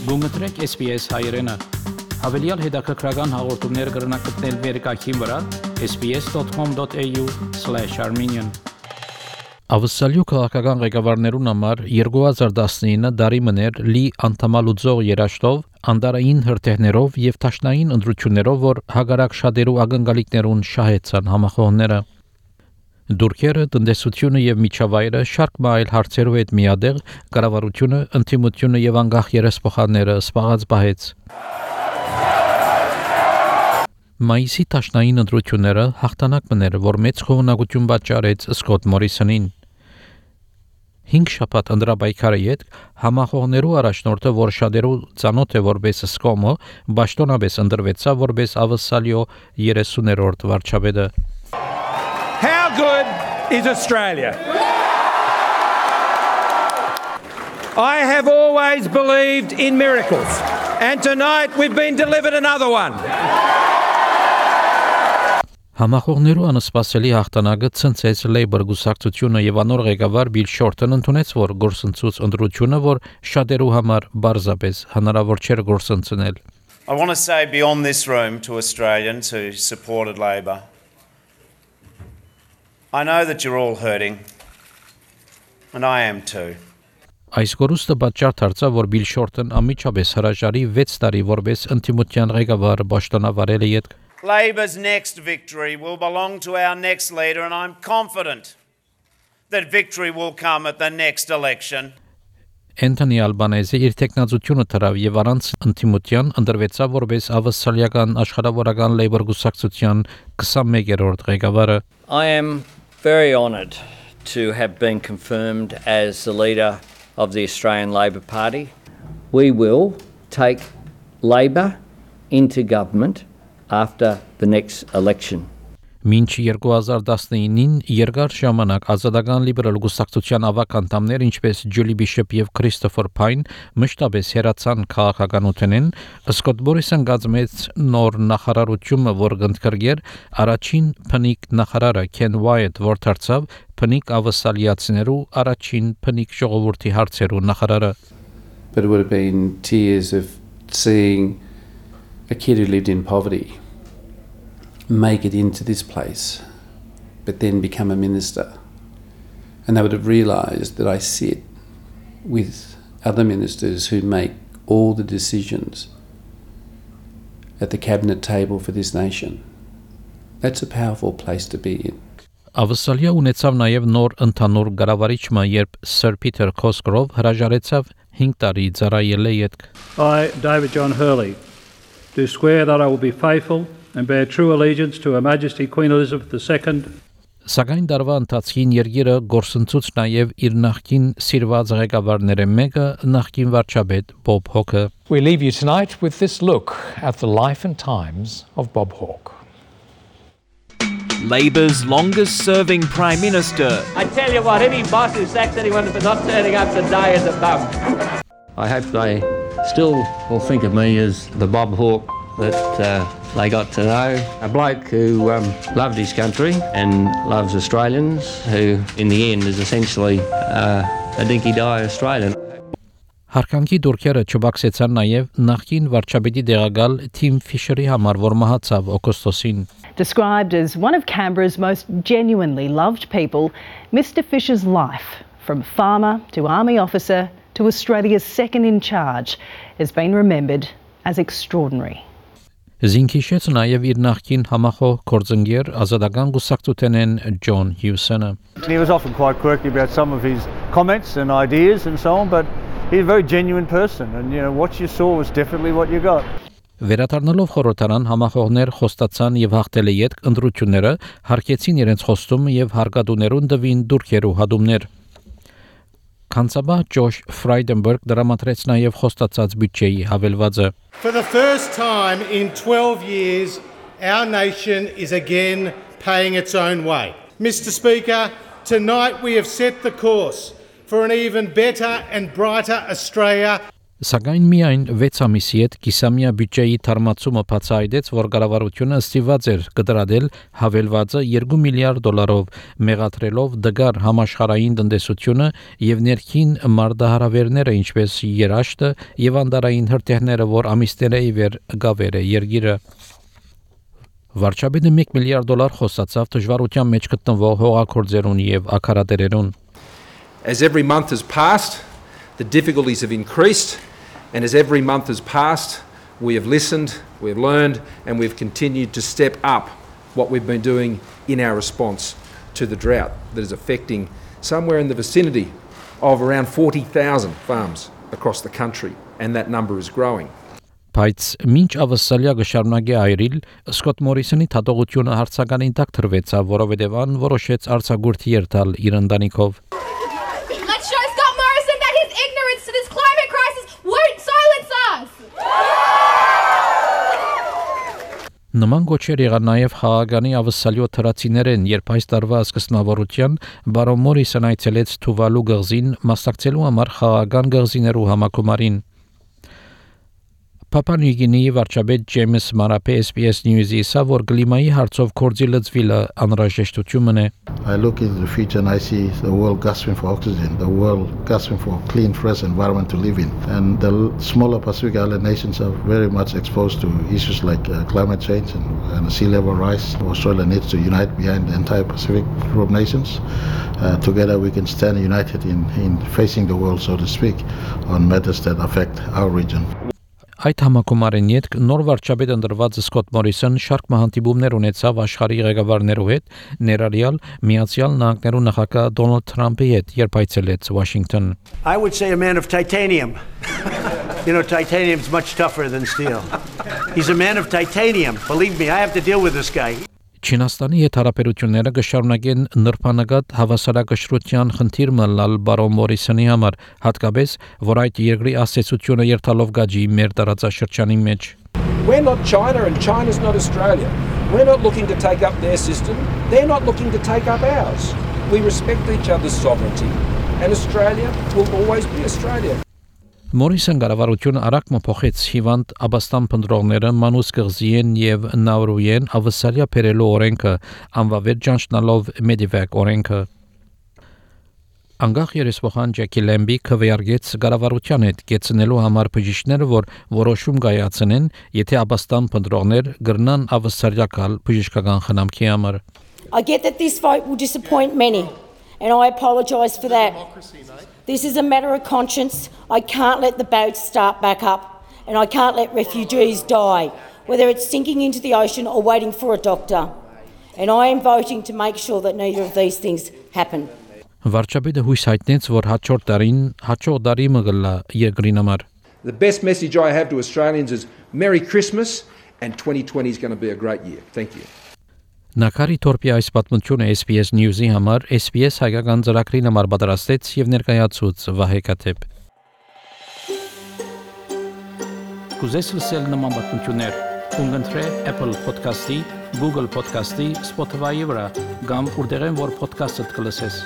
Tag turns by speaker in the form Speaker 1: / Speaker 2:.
Speaker 1: Գումտրեք SPS հայրենը, հավելյալ հետաքրքրական հաղորդումներ կրնակցնել վերկայքին վրա sbs.com.au/armenian Ավսալյու քաղաքական ղեկավարներուն համար 2019 դարի մներ լի անդամալուծող երաշտով, անդարային հրթեհներով եւ տաշնային ընտրություններով, որ հագարակ շատերու ակնկալիքներուն շահեցան համախոհները։ Դուրքերը, տնտեսությունը եւ միջավայրը շարք մայլ հարցերով հետ միադեղ կառավարությունը, ընդդիմությունը եւ անկախ երեսփոխանները սպաղած բահեց։ Մայիսի տաշնային ընտրությունները հաղթանակ մներ, որ մեծ խոհունակություն պատճառեց Սկոտ Մորիսոնին։ 5 շաբաթ ընդրաբայքարը յետ համախոհներու առաջնորդը, որ շատերու ծանոթ է որպես Սկոմը, պաշտոնապես ընտրվեցավ որպես Ավսալյո 30-րդ վարչապետը։
Speaker 2: How good is Australia? I have always believed in miracles, and tonight we've been delivered another one.
Speaker 1: Համախոհներու անսպասելի հաղթանակը ցնցեց Labour գուսակցությունը եւ անոր ղեկավար Բիլ Շորթն ընդունեց, որ գործընծուց ընտրությունը, որ շատերու համար բարձրապես հնարավոր չէր գործընծնել։
Speaker 3: I want to say beyond this room to Australians who supported Labor, I know that you're all hurting, and I am too.
Speaker 1: Այս գորուստը պատճառ դարձավ, որ Բիլ Շորթն ամիջապես հրաժարի 6 տարի որպես ընդդիմության ղեկավար պաշտոնավարել յետ։
Speaker 3: Labor's next victory will belong to our next leader, and I'm confident that victory will come at the next election.
Speaker 1: Anthony Albanese իր տեխնազությունը դրավ եւ առանց ընդդիմության ընտրվեցավ որպես ավսալիական աշխարհավորական Labour գուսակցության 21-րդ ղեկավարը։
Speaker 4: I am very honoured to have been confirmed as the leader of the Australian Labor Party. We will take Labor into government after the next election.
Speaker 1: Մինչ 2019-ին երկար ժամանակ ազատական լիբերալ գուսակցության ավակ անդամներ, ինչպես Ջուլի Բիշոփ եւ Քրիստոֆեր Փայն, մշտապես հերացան քաղաքականությունեն, Սկոտ Մորիսոն գազմեց նոր նախարարությունը, որ գնդկրգեր առաջին փնիկ նախարարը Քեն Ուայթ, որ դարձավ փնիկ ավսալիացիներու առաջին փնիկ ժողովրդի հարցերու նախարարը։
Speaker 5: But it would have been tears of seeing a kid who lived in poverty make it into this place, but then become a minister. And they would have realised that I sit with other ministers who make all the decisions at the cabinet table for this nation. That's a powerful place to be in.
Speaker 1: Ավսալիա ունեցավ նաև նոր ընդհանուր կառավարիչը, երբ Sir Peter Cosgrove հրաժարեցավ 5 տարի ծառայել յետք։
Speaker 6: I, David John Hurley, do swear that I will be faithful and bear true allegiance to Her Majesty Queen Elizabeth II.
Speaker 1: Սակայն դարվա ընթացքին երկիրը գործընծուց նաև իր նախկին սիրված ղեկավարները մեկը նախկին վարչապետ Bob Hawke.
Speaker 7: We leave you tonight with this look at the life and times of Bob Hawke.
Speaker 8: Labour's longest-serving Prime Minister.
Speaker 9: I tell you what, any boss who sacks anyone for not turning up to die is a bum.
Speaker 10: I hope they still will think of me as the Bob Hawke that they got to know. A bloke who loved his country and loves Australians, who in the end is essentially a dinky-die Australian.
Speaker 1: Հարկանքի դուրքերը չբացեցան նաև նախկին վարչապետի դեղակալ Tim Fisher-ի համար, որ մահացավ օգոստոսին.
Speaker 11: Described as one of Canberra's most genuinely loved people, Mr. Fisher's life, from farmer to army officer to Australia's second in charge, has been remembered as extraordinary.
Speaker 1: Զինքիշեց նաև իր նախկին համախոհ կորձընկեր ազատական գուսակցութենեն John Hewson-ը.
Speaker 12: He was often quite quirky about some of his comments and ideas and so on, but he's a very genuine person, and what you saw was definitely what you got.
Speaker 1: Վերադառնալով խորհրդարան համախոհներ խոստացան եւ հաղթել յետք ընտրությունները, հարկեցին իրենց խոստումը եւ հարգադուներուն դվին դուրքերու հադումներ։ Քանսաբա Josh Frydenberg դրամատրեց նաև խոստացած բյուջեի հավելվածը։
Speaker 13: For the first time in 12 years, our nation is again paying its own way. Mr. Speaker, tonight we have set the course for an even better and brighter Australia.
Speaker 1: Սակայն միայն 6 ամիսի հետ կիսամյա բյուջեի թարմացումը բացահայտեց, որ կառավարությունը ստիպված էր կտրատել հավելվածը $2 միլիարդ, մեղադրելով դգար համաշխարհային տնտեսությունը եւ ներքին մարտահրավերները, ինչպես երաշտը եւ անդարային հրթիռները, որ ամիսների վեր գավեր է երկիրը։ Վարչապետը $1 միլիարդ խոսացավ դժվարության մեջ գտնվող հողագործերուն եւ ակարատերերուն։
Speaker 14: As every month has passed, the difficulties have increased, and as every month has passed, we have listened, we have learned, and we've continued to step up what we've been doing in our response to the drought that is affecting somewhere in the vicinity of around 40,000 farms across the country, and that number is growing.
Speaker 1: Բայց մինչ ավսալիա գշարունակի այրիլ, Սկոտ Մորիսոնի թատողությունը հարցականին տակ թրվեցավ, որովհետև ան որոշեց արձակուրդի երթալ իր ընտանիքով։
Speaker 15: Let's show Scott Morrison that his ignorance to this climate crisis won't silence us.
Speaker 1: Նման գոչեր եղան նաև խաղաղանի ավսալիո թրացիներեն, երբ այս տարվա սկզբնավորության բարոն Մորիսոն այցելեց Թուվալու գղզին մասնակցելու համար խաղաղան գղզիներու համակոմարին։ Papua New Guinea վարչապետ Ջեյմս Մարապե SBS News-ի ասա, որ կլիմայի հարցով կորձի լծվելը անհրաժեշտություն է։
Speaker 16: I look into the future and I see the world gasping for oxygen, the world gasping for a clean, fresh environment to live in. And the smaller Pacific Island nations are very much exposed to issues like climate change and sea level rise. Australia needs to unite behind the entire Pacific group of nations. Together we can stand united in facing the world, so to speak, on matters that affect our region.
Speaker 1: Այդ համակոմարին յետք նոր վարչապետ ընտրված Սկոտ Մորիսոն շարք մահանտիբումներ ունեցավ աշխարհի ղեկավարներու հետ, ներառյալ Միացյալ Նահանգներու նախագահ Դոնալդ Թրամփի հետ, երբ այցելեց Washington.
Speaker 17: I would say a man of titanium. You know, titanium's much tougher than steel. He's a man of titanium. Believe me, I have to deal with this guy.
Speaker 1: Չինաստանի հետ հարաբերությունները կշարունակեն նրբանկատ հավասարակշռության խնդիր մնալ բարոն Մորիսոնի համար, հատկապես որ այդ երկրի ասացությունը երթալով գաջի մեր տարածաշրջանի մեջ։
Speaker 14: We're not China and China's not Australia. We're not looking to take up their system. They're not looking to take up ours. We respect each other's sovereignty and Australia will always be Australia.
Speaker 1: Մորիսոն կառավարությունը արագ փոխեց հիվանդ աբաստան փնտրողները մանուս կղզիեն եւ նավրույեն ավսալիա բերելու օրենքը անվավեր ճանչնալով Medivac օրենքը անգախ երեսփոխան Ջեկի Լեմբի քվեարկեց կառավարության հետ կեցնելու համար բժիշկները որ որոշում կայացնեն եթե աբաստան փնտրողներ գրնան ավսալիա կալ բժշկական խնամքի համար
Speaker 18: I get that this vote will disappoint many and I apologise for that. This is a matter of conscience. I can't let the boats start back up and I can't let refugees die, whether it's sinking into the ocean or waiting for a doctor. And I am voting to make sure that neither of these things happen.
Speaker 1: Վարչապետը հույս հայտնեց, որ հաջորդ տարի մգլա երկրին համար.
Speaker 14: The best message I have to Australians is Merry Christmas and 2020 is going to be a great year. Thank you.
Speaker 1: Նակարի թորպի այս պատմությունը SBS News-ի համար SBS հայկական ծրագրին համար պատրաստեց եւ ներկայացուց Վահե Կաթեփ։ Կուզես լսել նման պատմություններ, կընտրե Apple Podcast-ի, Google Podcast-ի, Spotify-ի վրա, կամ որտեղեն որ podcast-ը կլսես։